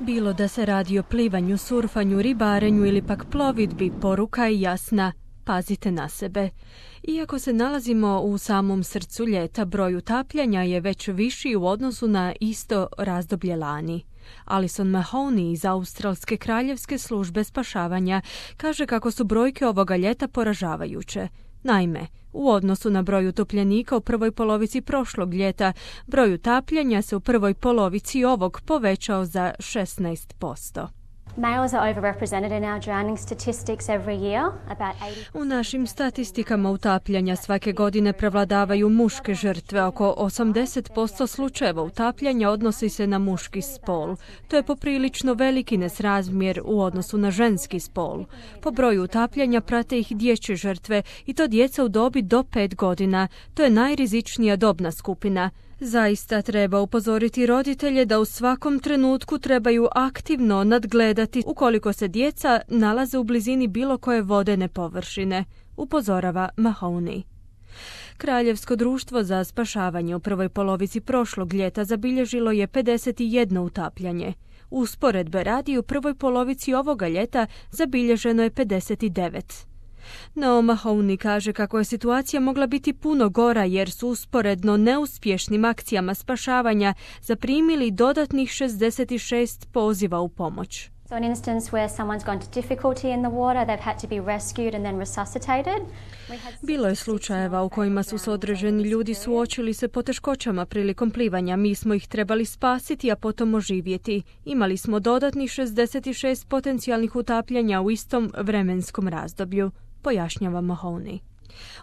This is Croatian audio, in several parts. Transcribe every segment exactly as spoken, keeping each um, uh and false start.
Bilo da se radi o plivanju, surfanju, ribarenju ili pak plovidbi, poruka je jasna: pazite na sebe. Iako se nalazimo u samom srcu ljeta, broj utapljanja je već viši u odnosu na isto razdoblje lani. Alison Mahoney iz Australske kraljevske službe spašavanja kaže kako su brojke ovoga ljeta poražavajuće. Naime, u odnosu na broj utopljenika u prvoj polovici prošlog ljeta, broj utapljanja se u prvoj polovici ovog povećao za šesnaest posto. Males are overrepresented in our drowning statistics every year. About eighty U našim statistikama utapljanja svake godine prevladavaju muške žrtve. Oko osamdeset posto slučajeva utapljanja odnosi se na muški spol. To je poprilično veliki nesrazmjer u odnosu na ženski spol. Po broju utapljanja prate ih dječje žrtve i to djeca u dobi do pet godina. To je najrizičnija dobna skupina. Zaista treba upozoriti roditelje da u svakom trenutku trebaju aktivno nadgledati ukoliko se djeca nalaze u blizini bilo koje vodene površine, upozorava Mahoney. Kraljevsko društvo za spašavanje u prvoj polovici prošlog ljeta zabilježilo je pedeset jedno utapljanje. Usporedbe radi u prvoj polovici ovoga ljeta zabilježeno je pedeset devet. No, Mahoney kaže kako je situacija mogla biti puno gora jer su usporedno neuspješnim akcijama spašavanja zaprimili dodatnih šezdeset šest poziva u pomoć. So an instance where someone's gone to difficulty in the water, they've had to be rescued and then resuscitated. Bilo je slučajeva u kojima su se određeni ljudi suočili se poteškoćama prilikom plivanja. Mi smo ih trebali spasiti, a potom oživjeti. Imali smo dodatnih šezdeset šest potencijalnih utapljanja u istom vremenskom razdoblju, pojašnjava Mahoney.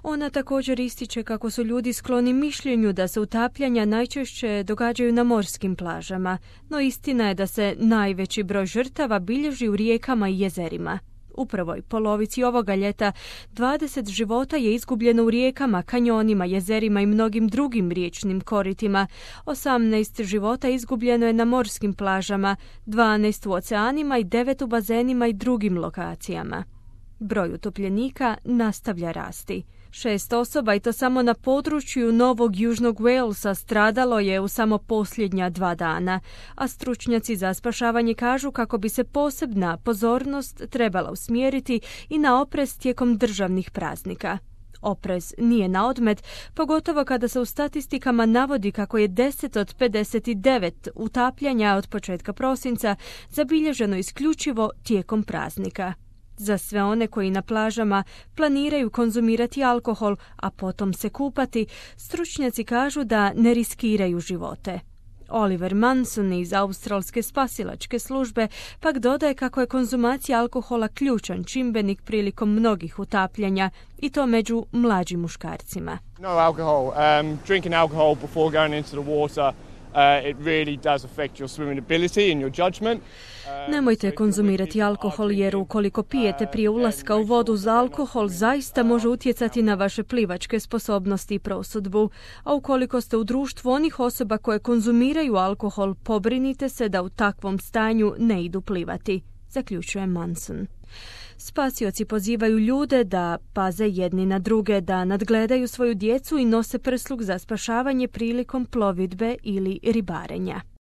Ona također ističe kako su ljudi skloni mišljenju da se utapljanja najčešće događaju na morskim plažama, no istina je da se najveći broj žrtava bilježi u rijekama i jezerima. U prvoj polovici ovoga ljeta dvadeset života je izgubljeno u rijekama, kanjonima, jezerima i mnogim drugim riječnim koritima. osamnaest života izgubljeno je na morskim plažama, dvanaest u oceanima i devet u bazenima i drugim lokacijama. Broj utopljenika nastavlja rasti. Šest osoba, i to samo na području Novog Južnog Walesa, stradalo je u samo posljednja dva dana, a stručnjaci za spašavanje kažu kako bi se posebna pozornost trebala usmjeriti i na oprez tijekom državnih praznika. Oprez nije na odmet, pogotovo kada se u statistikama navodi kako je deset od pedeset devet utapljanja od početka prosinca zabilježeno isključivo tijekom praznika. Za sve one koji na plažama planiraju konzumirati alkohol, a potom se kupati, stručnjaci kažu da ne riskiraju živote. Oliver Manson iz Australske spasilačke službe pak dodaje kako je konzumacija alkohola ključan čimbenik prilikom mnogih utapljanja, i to među mlađim muškarcima. No alcohol. Um, drinking alcohol before going into the water, uh, it really does affect your swimming ability and your judgment. Nemojte konzumirati alkohol jer ukoliko pijete prije ulaska u vodu za alkohol, zaista može utjecati na vaše plivačke sposobnosti i prosudbu. A ukoliko ste u društvu onih osoba koje konzumiraju alkohol, pobrinite se da u takvom stanju ne idu plivati, zaključuje Manson. Spasioci pozivaju ljude da paze jedni na druge, da nadgledaju svoju djecu i nose prsluk za spašavanje prilikom plovidbe ili ribarenja.